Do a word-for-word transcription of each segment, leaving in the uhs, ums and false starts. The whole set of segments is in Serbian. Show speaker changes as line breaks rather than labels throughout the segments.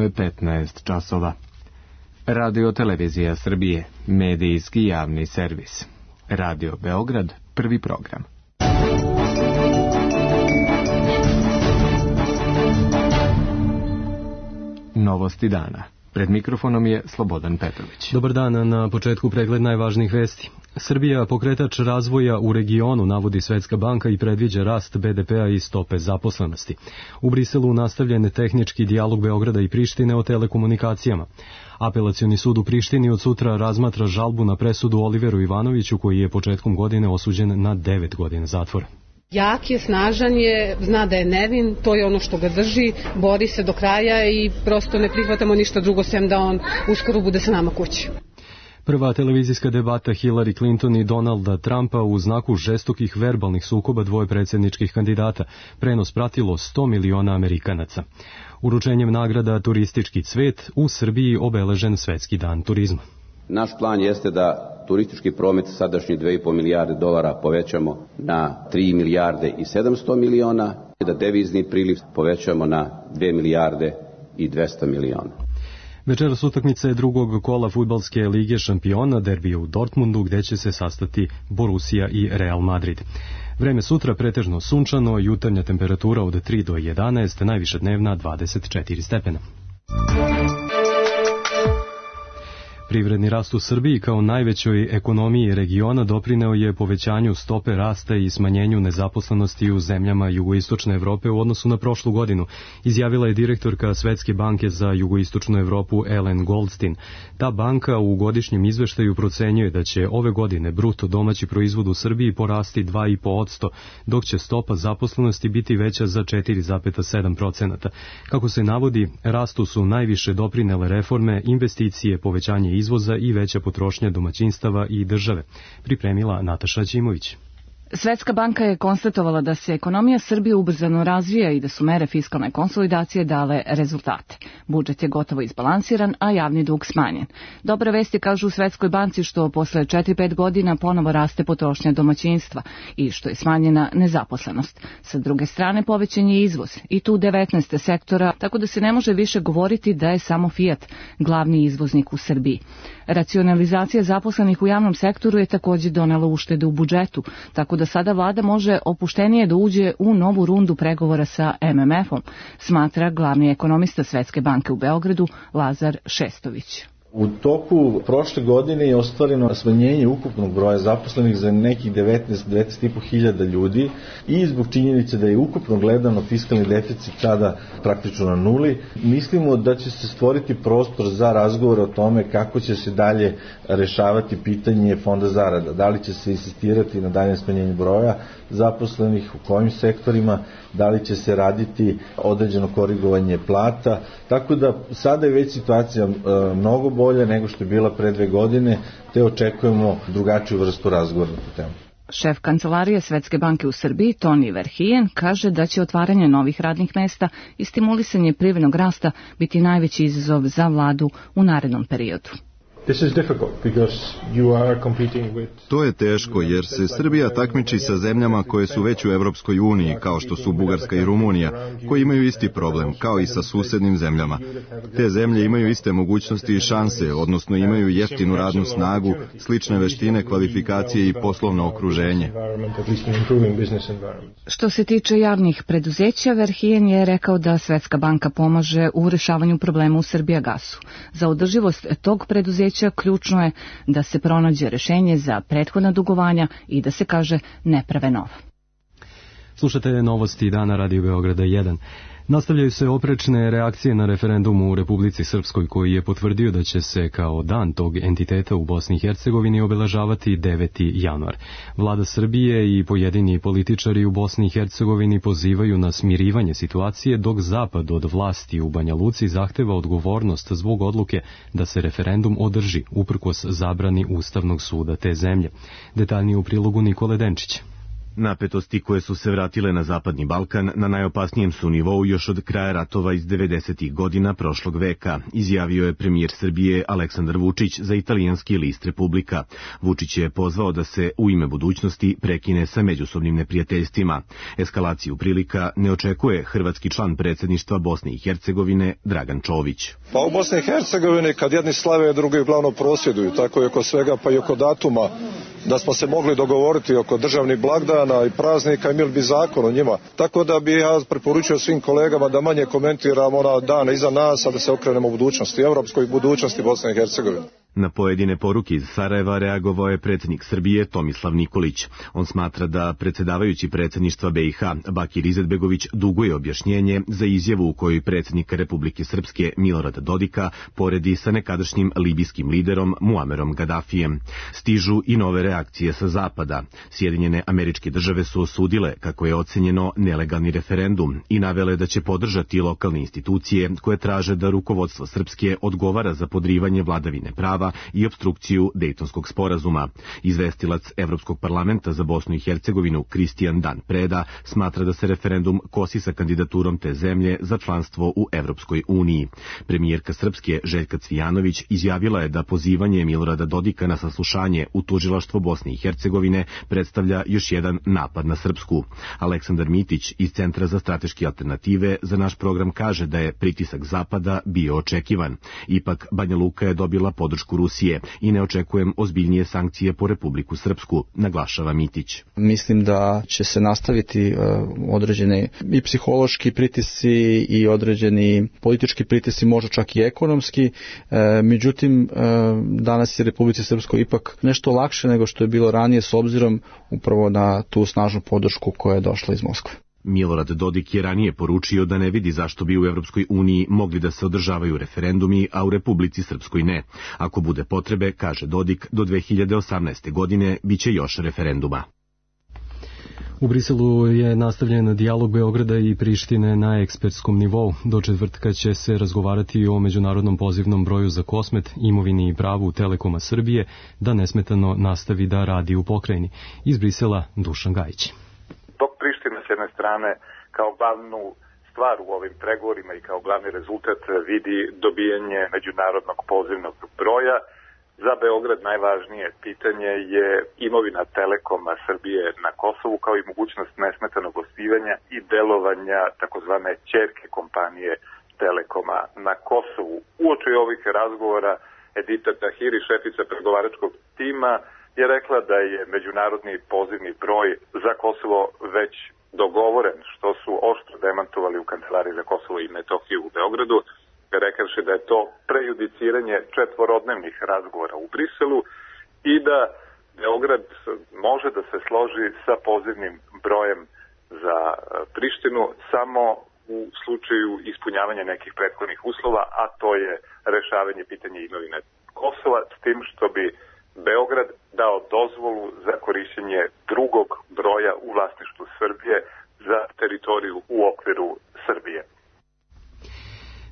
je petnaest časova. Radio Televizija Srbije, medijski javni servis. Radio Beograd, prvi program. Novosti dana. Pred mikrofonom je Slobodan Petrović.
Dobar dan, na početku pregled najvažnijih vesti. Srbija, pokretač razvoja u regionu, navodi Svetska banka i predviđa rast be de pea i stope zaposlenosti. U Briselu nastavljen tehnički dijalog Beograda i Prištine o telekomunikacijama. Apelacioni sud u Prištini od sutra razmatra žalbu na presudu Oliveru Ivanoviću, koji je početkom godine osuđen na devet godina zatvora.
Jak je, snažan je, zna da je nevin, to je ono što ga drži, bori se do kraja i prosto ne prihvatamo ništa drugo sem da on uskoro bude sa nama kući.
Prva televizijska debata Hillary Clinton i Donalda Trumpa u znaku žestokih verbalnih sukoba dvoje predsjedničkih kandidata. Prenos pratilo sto miliona Amerikanaca. Uručenjem nagrada Turistički cvet u Srbiji obeležen Svetski dan turizma.
Naš plan jeste da turistički promet sadašnji dve i po milijarde dolara povećamo na tri milijarde i sedamsto miliona, da devizni priliv povećamo na dve milijarde i dvesta miliona.
Večeras utakmice drugog kola fudbalske lige šampiona, derbija u Dortmundu, gde će se sastati Borussia i Real Madrid. Vreme sutra pretežno sunčano, jutarnja temperatura od tri do jedanaest, najviša dnevna dvadeset četiri stepena. Privredni rast u Srbiji kao najvećoj ekonomiji regiona doprineo je povećanju stope rasta i smanjenju nezaposlenosti u zemljama jugoistočne Evrope u odnosu na prošlu godinu, izjavila je direktorka Svetske banke za jugoistočnu Evropu Ellen Goldstein. Ta banka u godišnjem izveštaju procenjuje da će ove godine bruto domaći proizvod u Srbiji porasti dva i po posto, dok će stopa zaposlenosti biti veća za četiri zarez sedam procenata. Kako se navodi, rastu su najviše doprinele reforme, investicije, povećanje izvoza i veća potrošnja domaćinstava i države, pripremila Nataša Ćimović.
Svetska banka je konstatovala da se ekonomija Srbije ubrzano razvija i da su mere fiskalne konsolidacije dale rezultate. Budžet je gotovo izbalansiran, a javni dug smanjen. Dobra vest je, kažu u Svetskoj banci, što posle četiri pet godina ponovo raste potrošnja domaćinstva i što je smanjena nezaposlenost. Sa druge strane povećan je izvoz i tu devetnaest sektora, tako da se ne može više govoriti da je samo Fiat glavni izvoznik u Srbiji. Racionalizacija zaposlenih u javnom sektoru je također donela uštede u budžetu, tako da sada vlada može opuštenije da uđe u novu rundu pregovora sa em em efom, smatra glavni ekonomista Svetske banke u Beogradu Lazar Šestović.
U toku prošle godine je ostvareno smanjenje ukupnog broja zaposlenih za nekih devetnaest do devetnaest i po hiljada ljudi i zbog činjenice da je ukupno gledano fiskalni deficit sada praktično na nuli. Mislimo da će se stvoriti prostor za razgovor o tome kako će se dalje rešavati pitanje fonda zarada. Da li će se insistirati na daljem smanjenju broja zaposlenih, u kojim sektorima, da li će se raditi određeno korigovanje plata. Tako da sada je već situacija e, mnogo bolja nego što je bila pre dve godine, te očekujemo drugačiju vrstu razgovora na tu temu.
Šef kancelarije Svetske banke u Srbiji, Toni Verhijen, kaže da će otvaranje novih radnih mesta i stimulisanje privrednog rasta biti najveći izazov za vladu u narednom periodu.
To je teško jer se Srbija takmiči sa zemljama koje su već u Evropskoj uniji, kao što su Bugarska i Rumunija, koji imaju isti problem, kao i sa susednim zemljama. Te zemlje imaju iste mogućnosti i šanse, odnosno imaju jeftinu radnu snagu, slične veštine, kvalifikacije i poslovno okruženje.
Što se tiče javnih preduzeća, Verhijen je rekao da Svetska banka pomaže u rešavanju problema u Srbijagasu. Za održivost tog preduzeća ključno je da se pronađe rešenje za prethodna dugovanja i da se kaže ne prave nova.
Slušate novosti dana Radio Beograda jedan. Nastavljaju se oprečne reakcije na referendum u Republici Srpskoj, koji je potvrdio da će se kao dan tog entiteta u Bosni i Hercegovini obeležavati deveti januar. Vlada Srbije i pojedini političari u Bosni i Hercegovini pozivaju na smirivanje situacije, dok Zapad od vlasti u Banja Luci zahteva odgovornost zbog odluke da se referendum održi, uprkos zabrani Ustavnog suda te zemlje. Detaljnije u prilogu Nikole Denčića.
Napetosti koje su se vratile na Zapadni Balkan na najopasnijem su nivou još od kraja ratova iz devedesetih godina prošlog veka, izjavio je premijer Srbije Aleksandar Vučić za italijanski list Republika. Vučić je pozvao da se u ime budućnosti prekine sa međusobnim neprijateljstvima. Eskalaciju prilika ne očekuje hrvatski član predsjedništva Bosne i Hercegovine Dragan Čović.
Pa u Bosni i Hercegovini kad jedni slave, drugi uglavnom prosvjeduju, tako i oko svega pa i oko datuma, da smo se mogli dogovoriti oko državnih blagdana i praznika, imali bi zakon o njima. Tako da bi ja preporučio svim kolegama da manje komentiramo ona dana iza nas, a da se okrenemo u budućnosti, evropskoj budućnosti Bosne i Hercegovine.
Na pojedine poruke iz Sarajeva reagovao je predsjednik Srbije Tomislav Nikolić. On smatra da predsjedavajući predsjedništva B i H Bakir Izetbegović duguje objašnjenje za izjavu u kojoj predsjednik Republike Srpske Milorad Dodika poredi sa nekadašnjim libijskim liderom Muamerom Gadafijem. Stižu i nove reakcije sa zapada. Sjedinjene Američke Države su osudile kako je ocenjeno nelegalni referendum i navele da će podržati lokalne institucije koje traže da rukovodstvo Srpske odgovara za podrivanje vladavine prava i opstrukciju Dejtonskog sporazuma. Izvestilac Evropskog parlamenta za Bosnu i Hercegovinu Kristijan Dan Preda smatra da se referendum kosi sa kandidaturom te zemlje za članstvo u Evropskoj uniji. Premijerka Srpske Željka Cvijanović izjavila je da pozivanje Milorada Dodika na saslušanje u tužilaštvo Bosne i Hercegovine predstavlja još jedan napad na Srpsku. Aleksandar Mitić iz Centra za strateške alternative za naš program kaže da je pritisak Zapada bio očekivan. Ipak Banja Luka je dobila podršku Rusije i ne očekujem ozbiljnije sankcije po Republiku Srpsku, naglašava Mitić.
Mislim da će se nastaviti uh, određene i psihološki pritisci i određeni politički pritisci, možda čak i ekonomski. Uh, međutim, uh, danas je Republici Srpskoj ipak nešto lakše nego što je bilo ranije s obzirom upravo na tu snažnu podršku koja je došla iz Moskve.
Milorad Dodik je ranije poručio da ne vidi zašto bi u Evropskoj uniji mogli da se održavaju referendumi, a u Republici Srpskoj ne. Ako bude potrebe, kaže Dodik, do dve hiljade osamnaeste. godine biće još referenduma.
U Briselu je nastavljen dijalog Beograda i Prištine na ekspertskom nivou. Do četvrtka će se razgovarati o međunarodnom pozivnom broju za Kosmet, imovini i pravu Telekoma Srbije da nesmetano nastavi da radi u pokrajini. Iz Brisela Dušan Gajić.
S jedne strane kao glavnu stvar u ovim pregovorima i kao glavni rezultat vidi dobijanje međunarodnog pozivnog broja. Za Beograd najvažnije pitanje je imovina Telekoma Srbije na Kosovu kao i mogućnost nesmetanog osnivanja i delovanja takozvane ćerke kompanije Telekoma na Kosovu. Uoči ovih razgovora Edita Tahiri, šefica pregovaračkog tima, je rekla da je međunarodni pozivni broj za Kosovo već dogovoren, što su oštro demantovali u Kancelariji za Kosovo i Metohiju u Beogradu, rekavši da je to prejudiciranje četvorodnevnih razgovora u Briselu i da Beograd može da se složi sa pozivnim brojem za Prištinu samo u slučaju ispunjavanja nekih prethodnih uslova, a to je rešavanje pitanja imovine Kosova, s tim što bi Beograd dao dozvolu za korišćenje drugog broja u vlasništvu Srbije za teritoriju u okviru Srbije.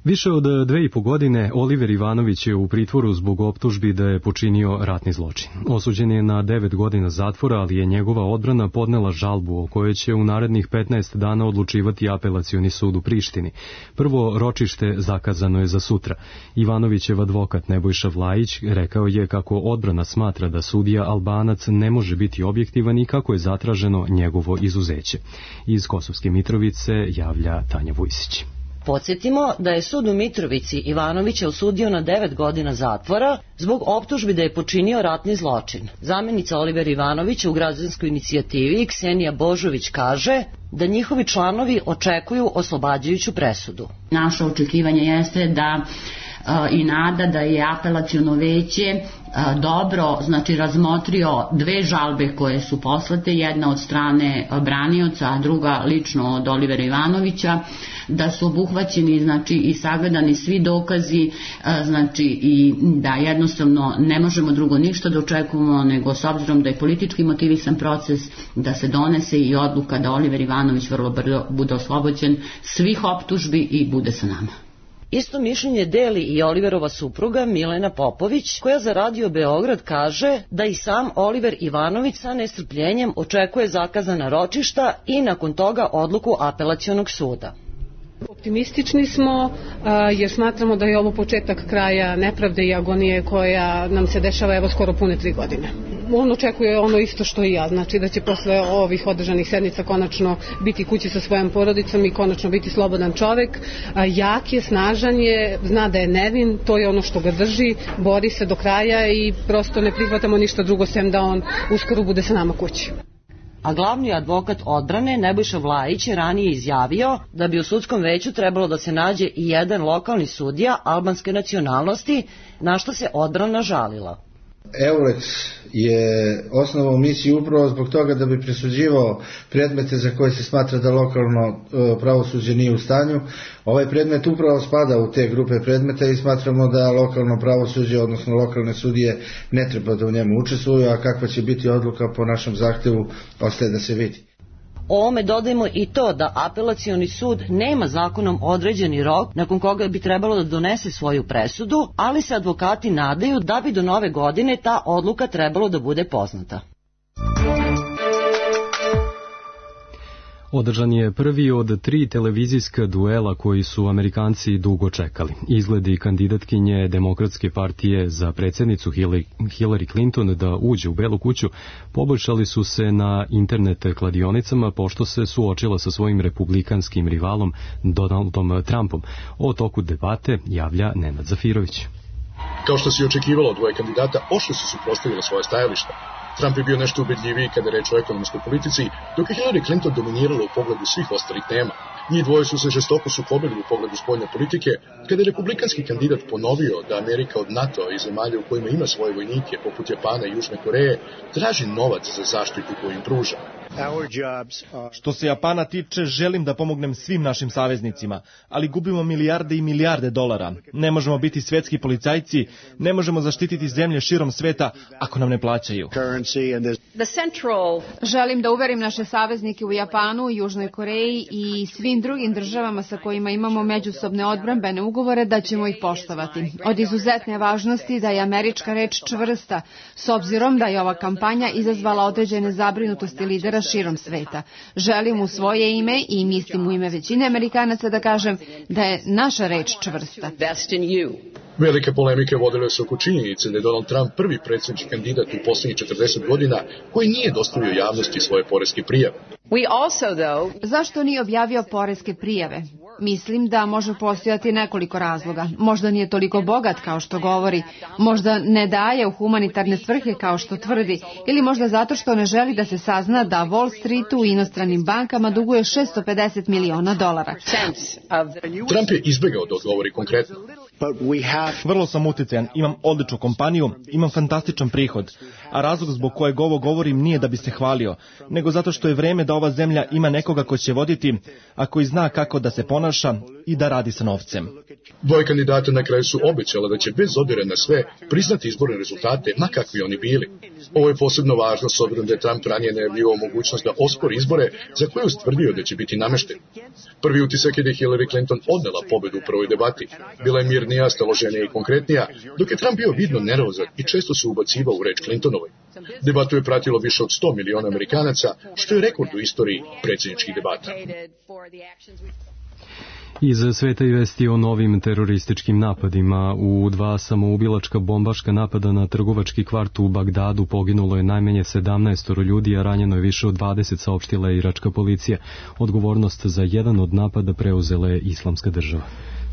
Više od dve i po godine Oliver Ivanović je u pritvoru zbog optužbi da je počinio ratni zločin. Osuđen je na devet godina zatvora, ali je njegova odbrana podnela žalbu o kojoj će u narednih petnaest dana odlučivati Apelacioni sud u Prištini. Prvo ročište zakazano je za sutra. Ivanovićev advokat Nebojša Vlajić rekao je kako odbrana smatra da sudija Albanac ne može biti objektivan i kako je zatraženo njegovo izuzeće. Iz Kosovske Mitrovice javlja Tanja Vujsić.
Podsjetimo da je sud u Mitrovici Ivanovića osudio na devet godina zatvora zbog optužbi da je počinio ratni zločin. Zamenica Oliver Ivanovića u građanskoj inicijativi Ksenija Božović kaže da njihovi članovi očekuju oslobađajuću presudu.
Naše očekivanje jeste da i nada da je apelaciono veće dobro, znači razmotrio dve žalbe koje su poslate, jedna od strane branioca, a druga lično od Olivera Ivanovića, da su obuhvaćeni znači i sagledani svi dokazi, znači i da jednostavno ne možemo drugo ništa da očekujemo nego s obzirom da je politički motivisan proces da se donese i odluka da Oliver Ivanović vrlo brzo bude oslobođen svih optužbi i bude sa nama.
Isto mišljenje deli i Oliverova supruga Milena Popović, koja za Radio Beograd kaže da i sam Oliver Ivanović sa nestrpljenjem očekuje zakazana ročišta i nakon toga odluku Apelacionog suda.
Optimistični smo jer smatramo da je ovo početak kraja nepravde i agonije koja nam se dešava evo skoro pune tri godine. On očekuje ono isto što i ja, znači da će posle ovih održanih sednica konačno biti kući sa svojom porodicom i konačno biti slobodan čovek. Jak je, snažan je, zna da je nevin, to je ono što ga drži, bori se do kraja i prosto ne prihvatamo ništa drugo sem da on uskoro bude sa nama kući.
A glavni advokat odbrane Nebojša Vlajić je ranije izjavio da bi u sudskom veću trebalo da se nađe i jedan lokalni sudija albanske nacionalnosti, na što se odbrana žalila.
Eulex je osnovao misiju upravo zbog toga da bi presuđivao predmete za koje se smatra da lokalno pravosuđe nije u stanju. Ovaj predmet upravo spada u te grupe predmeta i smatramo da lokalno pravosuđe, odnosno lokalne sudije, ne treba da u njemu učestvuju, a kakva će biti odluka po našem zahtevu ostaje da se vidi.
Ovome dodajemo i to da Apelacioni sud nema zakonom određeni rok nakon koga bi trebalo da donese svoju presudu, ali se advokati nadaju da bi do nove godine ta odluka trebalo da bude poznata.
Održan je prvi od tri televizijska duela koji su Amerikanci dugo čekali. Izgledi kandidatkinje Demokratske partije za predsjednicu Hillary Clinton da uđe u Belu kuću poboljšali su se na internet kladionicama pošto se suočila sa svojim republikanskim rivalom Donaldom Trumpom. O toku debate javlja Nenad Zafirović.
Kao što se očekivalo od dvoje kandidata, oštro su suprotstavili svoje stajališta. Trump je bio nešto ubedljiviji kada je reč o ekonomskoj politici, dok je Hillary Clinton dominirala u pogledu svih ostalih tema. Njih dvoje su se žestoko sukobili u pogledu spoljne politike, kada je republikanski kandidat ponovio da Amerika od NATO i zemalja u kojima ima svoje vojnike, poput Japana i Južne Koreje, traži novac za zaštitu koju im pruža.
Što se Japana tiče, želim da pomognem svim našim saveznicima, ali gubimo milijarde i milijarde dolara. Ne možemo biti svetski policajci, ne možemo zaštititi zemlje širom sveta ako nam ne plaćaju.
Želim da uverim naše saveznike u Japanu, Južnoj Koreji i svim drugim državama sa kojima imamo međusobne odbrambene ugovore da ćemo ih poštovati. Od izuzetne važnosti da je američka reč čvrsta, s obzirom da je ova kampanja izazvala određene zabrinutosti lidera širom sveta. Želim u svoje ime i mislim u ime većine Amerikanaca da kažem da je naša reč čvrsta.
Velike polemike vodile su oko činjenice da je Donald Trump prvi predsjednički kandidat u poslednjih četrdeset godina koji nije dostavio javnosti svoje poreske prijave.
Zašto nije objavio poreske prijave? Mislim da može postojati nekoliko razloga. Možda nije toliko bogat kao što govori, možda ne daje u humanitarne svrhe kao što tvrdi, ili možda zato što ne želi da se sazna da Wall Streetu i inostranim bankama duguje šesto pedeset miliona dolara.
Trump je izbegao da odgovori konkretno.
Vrlo sam uticajan, imam odličnu kompaniju, imam fantastičan prihod, a razlog zbog kojeg ovo govorim nije da bi se hvalio, nego zato što je vreme da ova zemlja ima nekoga ko će voditi, a koji zna kako da se ponaša i da radi sa novcem.
Dvoje kandidata na kraju su obećala da će bez obzira na sve priznati izborne rezultate, ma kakvi oni bili. Ovo je posebno važno s obzirom da je Trump ranije najavljivao mogućnost da ospori izbore za koje je ustvrdio da će biti namešten. Prvi utisak je da je Hillary Clinton odnela pobedu u prvoj debati. Bila je mirnija, staloženija i konkretnija, dok je Trump bio vidno nervozan i često se ubacivao u reč Clintonovoj. Debatu je pratilo više od sto miliona Amerikanaca, što je rekord u istoriji predsjedničkih debata.
Iz sveta i vesti o novim terorističkim napadima. U dva samoubilačka bombaška napada na trgovački kvart u Bagdadu poginulo je najmanje sedamnaest ljudi, a ranjeno je više od dvadeset, saopštila je iračka policija. Odgovornost za jedan od napada preuzela je Islamska država.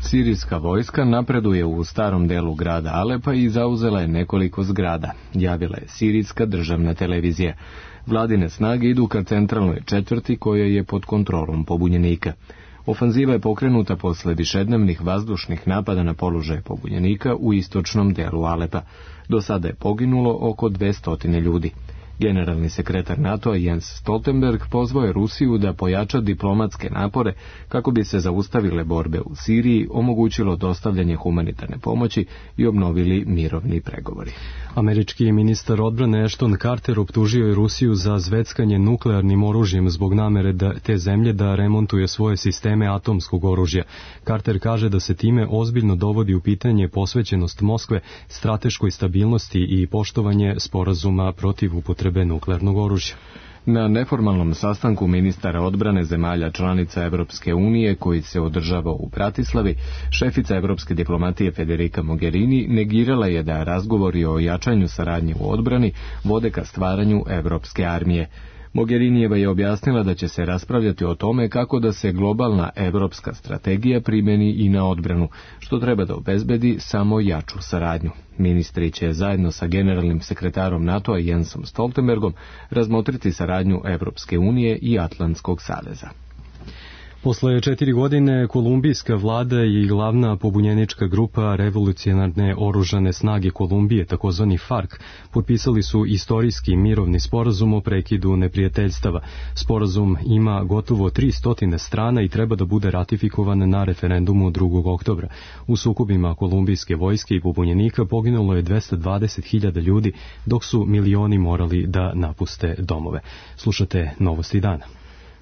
Sirijska vojska napreduje u starom delu grada Alepa i zauzela je nekoliko zgrada, javila je sirijska državna televizija. Vladine snage idu ka centralnoj četvrti koja je pod kontrolom pobunjenika. Ofanziva je pokrenuta posle višednevnih vazdušnih napada na položaje pobunjenika u istočnom delu Alepa. Do sada je poginulo oko dvesta ljudi. Generalni sekretar NATO-a Jens Stoltenberg pozvao je Rusiju da pojača diplomatske napore kako bi se zaustavile borbe u Siriji, omogućilo dostavljanje humanitarne pomoći i obnovili mirovni pregovori.
Američki ministar odbrane Ashton Carter optužio je Rusiju za zveckanje nuklearnim oružjem zbog namere da te zemlje da remontuje svoje sisteme atomskog oružja. Carter kaže da se time ozbiljno dovodi u pitanje posvećenost Moskve strateškoj stabilnosti i poštovanje sporazuma protiv upotrebe nuklearnog oružja.
Na neformalnom sastanku ministara odbrane zemalja članica Evropske unije koji se održava u Bratislavi, šefica evropske diplomatije Federica Mogherini negirala je da razgovori o jačanju saradnje u odbrani vode ka stvaranju evropske armije. Mogherinijeva je objasnila da će se raspravljati o tome kako da se globalna evropska strategija primeni i na odbranu, što treba da obezbedi samo jaču saradnju. Ministri će zajedno sa generalnim sekretarom NATO-a Jensom Stoltenbergom razmotriti saradnju Evropske unije i Atlantskog saveza.
Posle četiri godine kolumbijska vlada i glavna pobunjenička grupa Revolucionarne oružane snage Kolumbije, takozvani FARC, potpisali su istorijski mirovni sporazum o prekidu neprijateljstava. Sporazum ima gotovo tristo strana i treba da bude ratifikovan na referendumu drugog oktobra. U sukobima kolumbijske vojske i pobunjenika poginulo je dvesta dvadeset hiljada ljudi, dok su milioni morali da napuste domove. Slušate Novosti dana.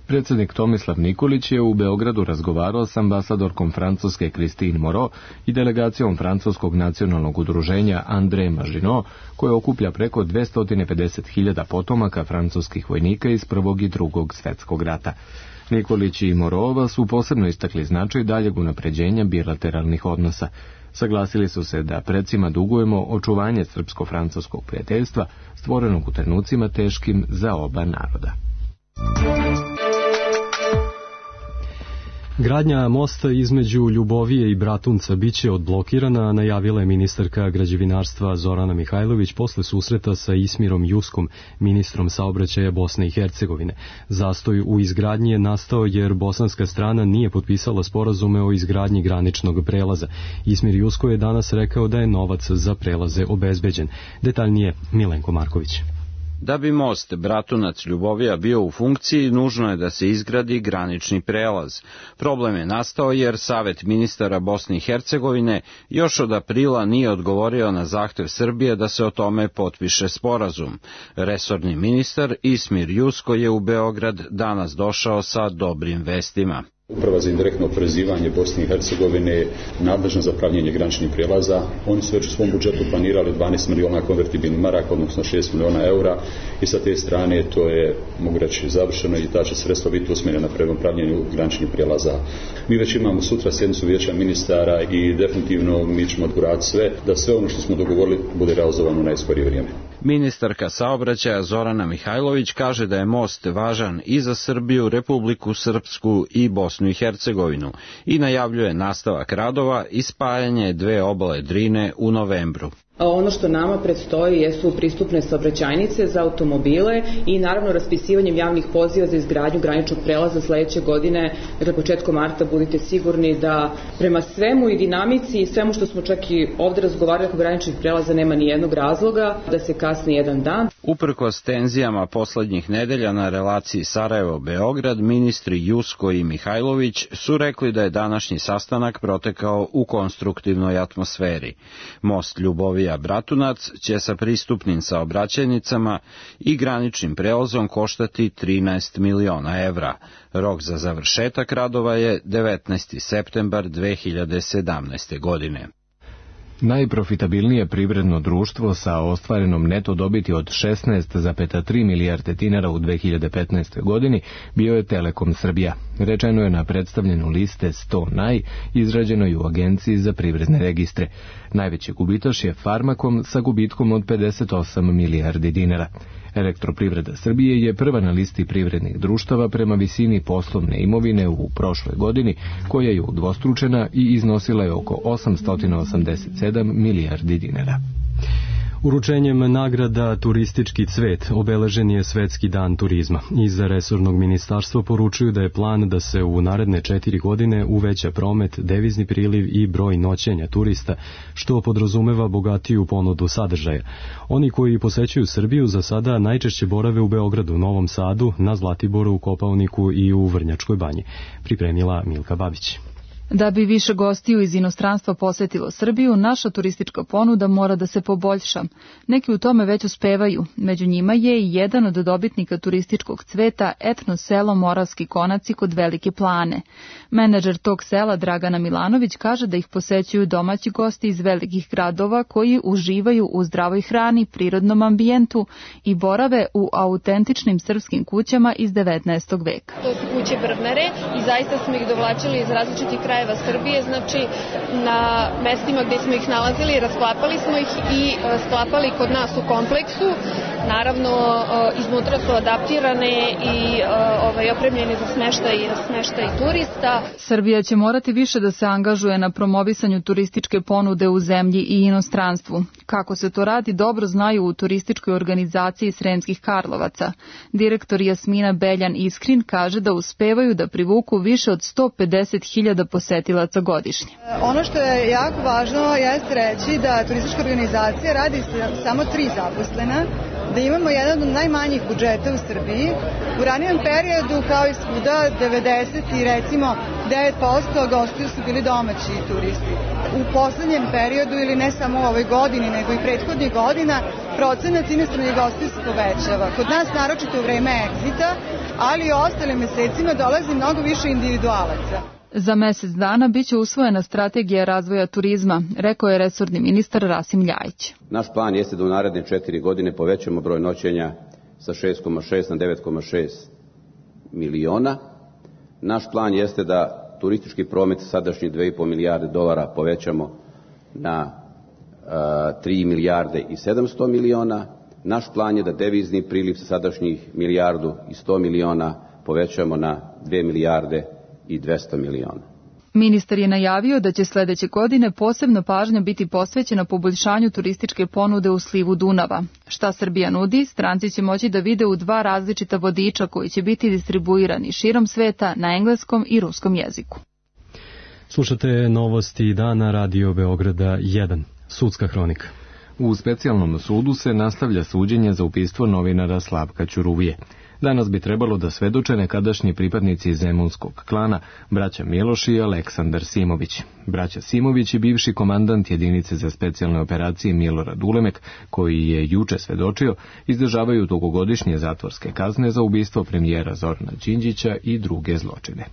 Predsjednik Tomislav Nikolić je u Beogradu razgovarao s ambasadorkom Francuske Christine Moreau i delegacijom Francuskog nacionalnog udruženja André Maginot, koje okuplja preko dvesta pedeset hiljada potomaka francuskih vojnika iz Prvog i Drugog svjetskog rata. Nikolić i Moreau su posebno istakli značaj daljeg unapređenja bilateralnih odnosa. Saglasili su se da predsima dugujemo očuvanje srpsko-francuskog prijateljstva, stvorenog u trenucima teškim za oba naroda.
Gradnja mosta između Ljubovije i Bratunca biće odblokirana, najavila je ministarka građevinarstva Zorana Mihajlović posle susreta sa Ismirom Juskom, ministrom saobraćaja Bosne i Hercegovine. Zastoj u izgradnji je nastao jer bosanska strana nije potpisala sporazume o izgradnji graničnog prelaza. Ismir Jusko je danas rekao da je novac za prelaze obezbeđen. Detaljnije Milenko Marković.
Da bi most Bratunac-Ljubovija bio u funkciji, nužno je da se izgradi granični prelaz. Problem je nastao jer Savet ministara Bosne i Hercegovine još od aprila nije odgovorio na zahtev Srbije da se o tome potpiše sporazum. Resorni ministar Ismir Jusko je u Beograd danas došao sa dobrim vestima.
Uprava za indirektno oporezivanje Bosne i Hercegovine je nadležna za pravljenje graničnih prijelaza. Oni su već u svom budžetu planirali dvanaest miliona konvertibilnih maraka, odnosno šest miliona eura, i sa te strane to je, mogu reći, završeno i ta će sredstva biti usmjerena prema pravljenju graničnih prijelaza. Mi već imamo sutra sjednicu vijeća ministara i definitivno mi ćemo odgurati sve da sve ono što smo dogovorili bude realizovano u najskorije vrijeme.
Ministarka saobraćaja Zorana Mihajlović kaže da je most važan i za Srbiju, Republiku Srpsku i Bosnu i Hercegovinu i najavljuje nastavak radova i spajanje dve obale Drine u novembru.
Ono što nama predstoji jesu pristupne saobraćajnice za automobile i naravno raspisivanjem javnih poziva za izgradnju graničnog prelaza sledeće godine, dakle početkom marta, budite sigurni da prema svemu i dinamici i svemu što smo čak i ovde razgovarali oko graničnih prelaza nema ni jednog razloga da se kasni jedan dan.
Uprkos tenzijama poslednjih nedelja na relaciji Sarajevo-Beograd, ministri Jusko i Mihajlović su rekli da je današnji sastanak protekao u konstruktivnoj atmosferi. Most Ljubovija Bratunac će sa pristupnim saobraćajnicama i graničnim prelazom koštati trinaest miliona evra. Rok za završetak radova je devetnaesti septembar dve hiljade sedamnaeste. godine.
Najprofitabilnije privredno društvo sa ostvarenom neto dobiti od šesnaest zarez tri milijarde dinara u dve hiljade petnaestoj. godini bio je Telekom Srbija. Rečeno je na predstavljenju liste sto naj, izrađenoj u Agenciji za privredne registre. Najveći gubitaš je Farmakom sa gubitkom od pedeset osam milijardi dinara. Elektroprivreda Srbije je prva na listi privrednih društava prema visini poslovne imovine u prošloj godini, koja je udvostručena i iznosila je oko osamsto osamdeset sedam milijardi dinara.
Uručenjem nagrada Turistički cvet obeležen je Svetski dan turizma. Iz resornog ministarstva poručuju da je plan da se u naredne četiri godine uveća promet, devizni priliv i broj noćenja turista, što podrazumeva bogatiju ponudu sadržaja. Oni koji posećuju Srbiju za sada najčešće borave u Beogradu, Novom Sadu, na Zlatiboru, u Kopaoniku i u Vrnjačkoj banji. Pripremila Milka Babić.
Da bi više gostiju iz inostranstva posetilo Srbiju, naša turistička ponuda mora da se poboljša. Neki u tome već uspevaju. Među njima je i jedan od dobitnika turističkog cveta, etno selo Moravski Konaci kod Velike Plane. Menadžer tog sela Dragana Milanović kaže da ih posećuju domaći gosti iz velikih gradova koji uživaju u zdravoj hrani, prirodnom ambijentu i borave u autentičnim srpskim kućama iz devetnaestog veka.
To su kuće Brvnare i zaista smo ih dovlačili iz različitih krajeva Srbije, znači na mestima gde smo ih nalazili, rasklapali smo ih i sklapali kod nas u kompleksu. Naravno, iznutra su adaptirane i ovaj, opremljene za smeštaj, smeštaj turista.
Srbija će morati više da se angažuje na promovisanju turističke ponude u zemlji i inostranstvu. Kako se to radi, dobro znaju u turističkoj organizaciji Sremskih Karlovaca. Direktor Jasmina Beljan Iskrin kaže da uspevaju da privuku više od sto pedeset hiljada posetilaca godišnje.
Ono što je jako važno jeste reći da turistička organizacija radi samo tri zaposlena, da imamo jedan od najmanjih budžeta u Srbiji. U ranijem periodu, kao i svuda, devedeset i recimo devet posto gostiju su bili domaći turisti. U poslednjem periodu, ili ne samo u ovoj godini, nego i prethodnih godina, procenat inostranih gostiju se povećava. Kod nas naročito u vreme egzita, ali i ostalim mesecima dolazi mnogo više individualaca.
Za mesec dana biće usvojena strategija razvoja turizma, rekao je resorni ministar Rasim Ljajić.
Naš plan jeste da u naredne četiri godine povećamo broj noćenja sa šest zarez šest na devet zarez šest miliona. Naš plan jeste da turistički promet sadašnjih dve i po milijarde dolara povećamo na tri milijarde i sedamsto miliona. Naš plan je da devizni priliv sa sadašnjih milijardu i sto miliona povećamo na dve milijarde i dvesta miliona.
Ministar je najavio da će sledeće godine posebno pažnja biti posvećena poboljšanju turističke ponude u slivu Dunava. Šta Srbija nudi, stranci će moći da vide u dva različita vodiča koji će biti distribuirani širom sveta na engleskom i ruskom jeziku.
Slušate novosti dana Radio Beograda jedan. Sudska hronika.
U specijalnom sudu se nastavlja suđenje za ubistvo novinara Slavka Ćuruvije. Danas bi trebalo da svedoče nekadašnji pripadnici zemunskog klana, braća Miloš i Aleksandar Simović. Braća Simović i bivši komandant jedinice za specijalne operacije Milorad Ulemek, koji je juče svedočio, izdržavaju dugogodišnje zatvorske kazne za ubistvo premijera Zorana Đinđića i druge zločine.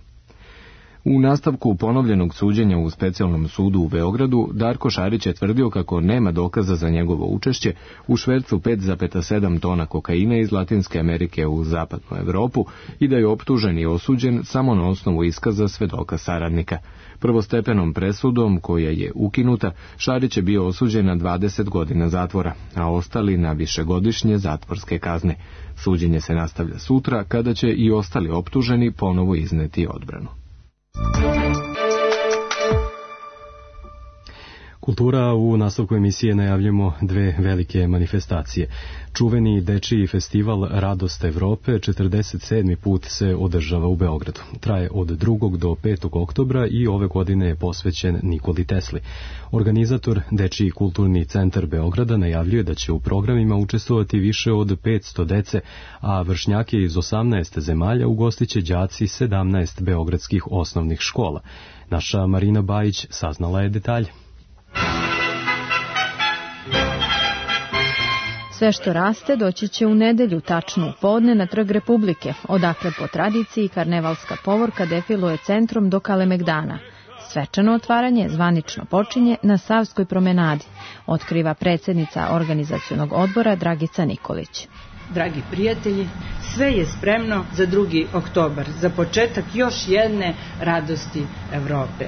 U nastavku ponovljenog suđenja u specijalnom sudu u Beogradu, Darko Šarić je tvrdio kako nema dokaza za njegovo učešće u švercu pet zarez sedam tona kokaina iz Latinske Amerike u zapadnu Evropu i da je optužen i osuđen samo na osnovu iskaza svedoka saradnika. Prvostepenom presudom, koja je ukinuta, Šarić je bio osuđen na dvadeset godina zatvora, a ostali na višegodišnje zatvorske kazne. Suđenje se nastavlja sutra, kada će i ostali optuženi ponovo izneti odbranu.
Kultura. U nastavku emisije najavljamo dve velike manifestacije. Čuveni dečiji festival Radost Evrope četrdeset sedmi put se održava u Beogradu. Traje od drugog do petog oktobra i ove godine je posvećen Nikoli Tesli. Organizator Dečiji kulturni centar Beograda najavljuje da će u programima učestvovati više od petsto dece, a vršnjake iz osamnaest zemalja ugostiće đaci sedamnaest beogradskih osnovnih škola. Naša Marina Bajić saznala je detalje.
Sve što raste doći će u nedelju, tačno u podne, na Trg Republike, odakle po tradiciji karnevalska povorka defiluje centrom do Kalemegdana. Svečano otvaranje zvanično počinje na Savskoj promenadi, otkriva predsjednica organizacionog odbora Dragica Nikolić.
Dragi prijatelji, sve je spremno za drugi oktobar, za početak još jedne radosti Evrope.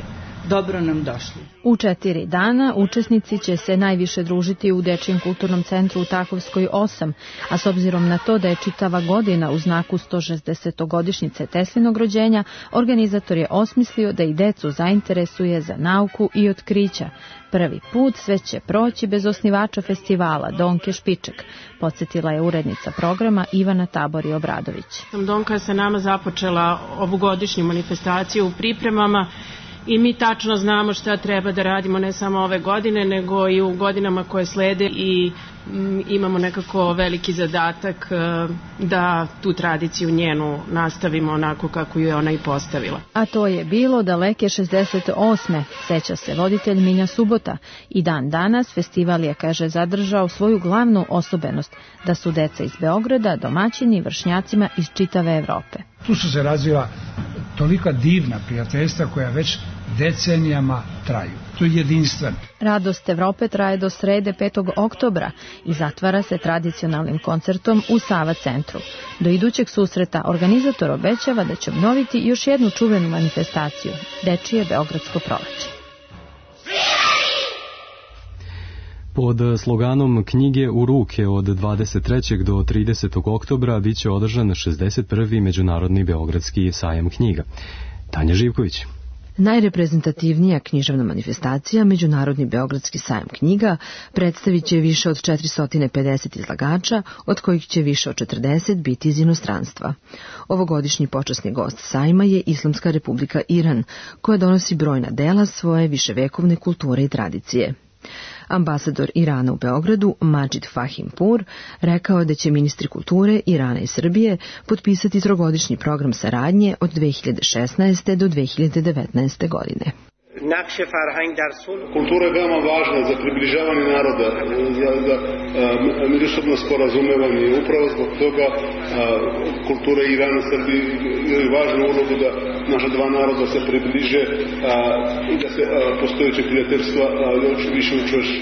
dobro nam došli.
U četiri dana učesnici će se najviše družiti u Dečijem kulturnom centru u Takovskoj osam, a s obzirom na to da je čitava godina u znaku sto šezdesetogodišnjice Teslinog rođenja, organizator je osmislio da i decu zainteresuje za nauku i otkrića. Prvi put sve će proći bez osnivača festivala, Donke Špiček, podsjetila je urednica programa Ivana Tabori Obradović.
Donka je sa nama započela ovogodišnju manifestaciju u pripremama i mi tačno znamo šta treba da radimo ne samo ove godine, nego i u godinama koje slede i m, imamo nekako veliki zadatak da tu tradiciju njenu nastavimo onako kako ju je ona i postavila.
A to je bilo daleke šezdeset osme, seća se voditelj Minja Subota, i dan danas festival je, kaže, zadržao svoju glavnu osobenost, da su deca iz Beograda domaćini vršnjacima iz čitave Evrope.
Tu su se razvila tolika divna prijateljstva koja već decenijama traju. To je jedinstveno.
Radost Evrope traje do srede petog oktobra i zatvara se tradicionalnim koncertom u Sava centru. Do idućeg susreta organizator obećava da će obnoviti još jednu čuvenu manifestaciju, Dečije Beogradsko proleće.
Pod sloganom Knjige u ruke od dvadeset trećeg do tridesetog oktobra biće održan šezdeset prvi Međunarodni Beogradski sajam knjiga. Tanja Živković.
Najreprezentativnija književna manifestacija, Međunarodni Beogradski sajam knjiga, predstavit će više od četiristo pedeset izlagača, od kojih će više od četrdeset biti iz inostranstva. Ovogodišnji počasni gost sajma je Islamska Republika Iran, koja donosi brojna dela svoje viševekovne kulture i tradicije. Ambasador Irana u Beogradu, Madžid Fahimpur, rekao je da će ministri kulture Irana i Srbije potpisati trogodišnji program saradnje od dve hiljade šesnaeste. do dve hiljade devetnaeste. godine.
Kultura je veoma važna za približavanje naroda, za, za a, međusobno sporazumevanje. Upravo zbog toga a, kultura Irana i Srbije je važnu ulogu da naša dva naroda se približe a, i da se a, postojeće prijateljstva još više učvrši.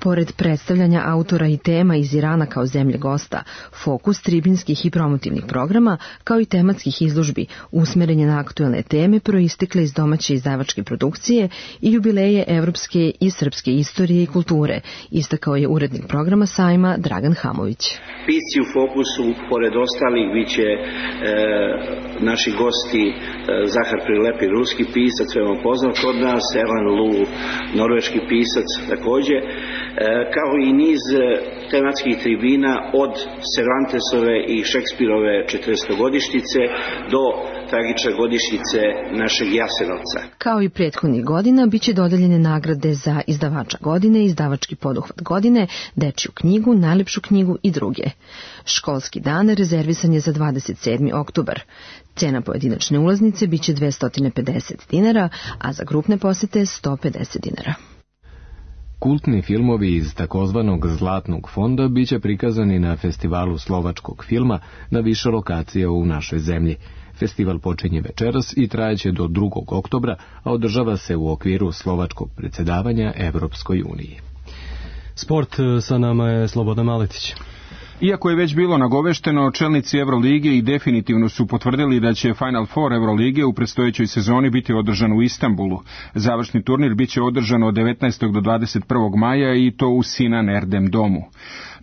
Pored predstavljanja autora i tema iz Irana kao zemlje gosta, fokus tribinskih i promotivnih programa, kao i tematskih izložbi, usmeren je na aktuelne teme proistekle iz domaće izdavačke produkcije i jubileje evropske i srpske istorije i kulture, istakao je urednik programa sajma Dragan Hamović.
Pisci u fokusu, pored ostalih, biće e, naši gosti e, Zahar Prilepi, ruski pisac, veoma poznat kod nas, Erlan Lu, norveški pisac takođe, kao i niz tematskih tribina od Cervantesove i Šekspirove četrdesetogodišnjice do tragične godišnjice našeg Jasenovca.
Kao i prethodnih godina, biće dodeljene nagrade za izdavača godine, izdavački poduhvat godine, dečiju knjigu, najlepšu knjigu i druge. Školski dan rezervisan je za dvadeset sedmi oktobar. Cena pojedinačne ulaznice biće dvesta pedeset dinara, a za grupne posete sto pedeset dinara.
Kultni filmovi iz takozvanog Zlatnog fonda biće prikazani na festivalu slovačkog filma na više lokacija u našoj zemlji. Festival počinje večeras i trajeće do drugog oktobra, a održava se u okviru slovačkog predsjedavanja Evropskoj uniji.
Sport, sa nama je Slobodan Maletić.
Iako je već bilo nagovešteno, čelnici Evrolige i definitivno su potvrdili da će Final Four Evrolige u predstojećoj sezoni biti održan u Istanbulu. Završni turnir biće održan od devetnaestog do dvadeset prvog maja i to u Sinan Erdem domu.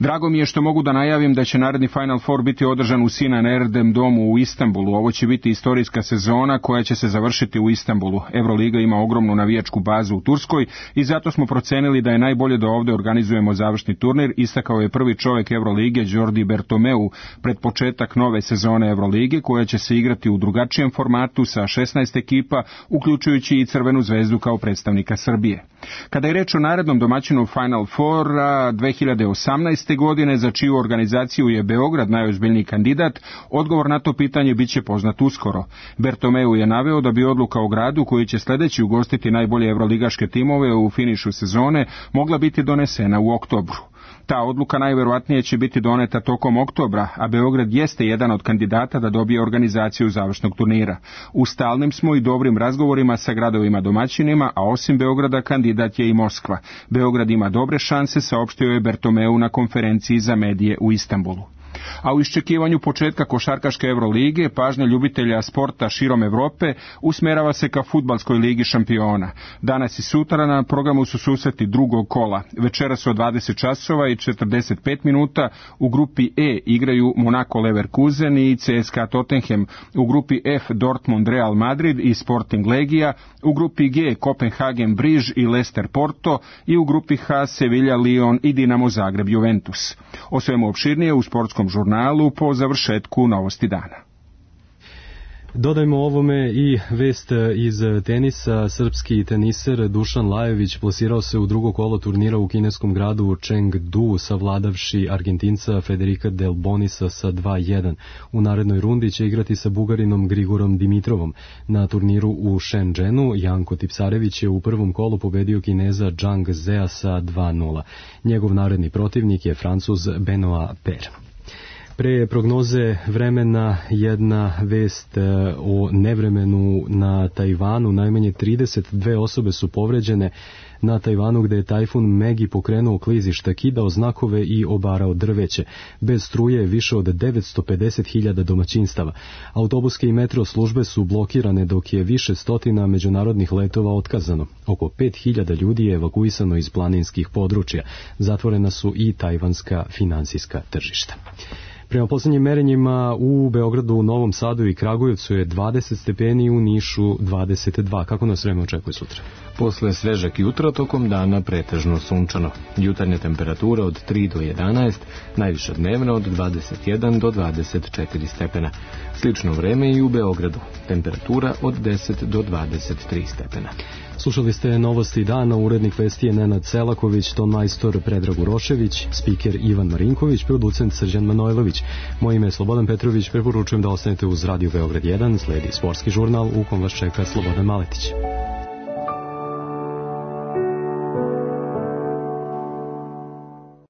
Drago mi je što mogu da najavim da će naredni Final Four biti održan u Sinan Erdem domu u Istanbulu. Ovo će biti istorijska sezona koja će se završiti u Istanbulu. Evroliga ima ogromnu navijačku bazu u Turskoj i zato smo procenili da je najbolje da ovde organizujemo završni turnir, istakao je prvi čovjek Evrolige Jordi Bertomeu pred početak nove sezone Evrolige koja će se igrati u drugačijem formatu sa šesnaest ekipa, uključujući i Crvenu zvezdu kao predstavnika Srbije. Kada je reč o narednom domaćinu Final Four dve hiljade osamnaeste. godine, za čiju organizaciju je Beograd najozbiljniji kandidat, odgovor na to pitanje biće poznat uskoro. Bertomeu je naveo da bi odluka o gradu koji će sledeći ugostiti najbolje evroligaške timove u finišu sezone mogla biti donesena u oktobru. Ta odluka najverovatnije će biti doneta tokom oktobra, a Beograd jeste jedan od kandidata da dobije organizaciju završnog turnira. U stalnim smo i dobrim razgovorima sa gradovima domaćinima, a osim Beograda kandidat je i Moskva. Beograd ima dobre šanse, saopštio je Bertomeu na konferenciji za medije u Istanbulu. A u iščekivanju početka košarkaške Evrolige pažnja ljubitelja sporta širom Evrope usmerava se ka fudbalskoj ligi šampiona. Danas i sutra na programu su susreti drugog kola. Večeras od dvadeset časova i četrdeset pet minuta u grupi E igraju Monaco Leverkusen i C S K A Tottenham, u grupi F Dortmund Real Madrid i Sporting Legija, u grupi G Kopenhagen Briž i Leicester Porto i u grupi H Sevilla Lyon i Dinamo Zagreb Juventus. O svemu opširnije u sportskom žurnalu po završetku Novosti dana.
Dodajmo ovome i vest iz tenisa. Srpski teniser Dušan Lajović plasirao se u drugo kolo turnira u kineskom gradu Chengdu, savladavši Argentinca Federica Del Bonisa sa dva jedan. U narednoj rundi će igrati sa Bugarinom Grigorom Dimitrovom. Na turniru u Shenzhenu Janko Tipsarević je u prvom kolu pobedio Kineza Zhang Zea sa dva nula. Njegov naredni protivnik je Francuz Benoit Per. Pre prognoze vremena jedna vest o nevremenu na Tajvanu. Najmanje trideset dve osobe su povređene na Tajvanu gde je tajfun Megi pokrenuo klizišta, kidao znakove i obarao drveće. Bez struje je više od devetsto pedeset hiljada domaćinstava. Autobuske i metro službe su blokirane dok je više stotina međunarodnih letova otkazano. Oko pet hiljada ljudi je evakuisano iz planinskih područja. Zatvorena su i tajvanska finansijska tržišta. Prema poslednjim merenjima u Beogradu, Novom Sadu i Kragujevcu je dvadeset stepeni, u Nišu dvadeset dva. Kako nas vreme očekuje sutra?
Posle svežak jutra, tokom dana pretežno sunčano. Jutarnja temperatura od tri do jedanaest, najviša dnevna od dvadeset jedan do dvadeset četiri stepena. Slično vreme i u Beogradu. Temperatura od deset do dvadeset tri stepena.
Slušali ste Novosti dana, urednik vesti je Nenad Selaković, ton majstor Predrag Urošević, spiker Ivan Marinković, producent Srđan Manojlović. Moje ime je Slobodan Petrović, preporučujem da ostanete uz Radio Beograd jedan, sledi sportski žurnal u kom vas čeka Slobodan Maletić.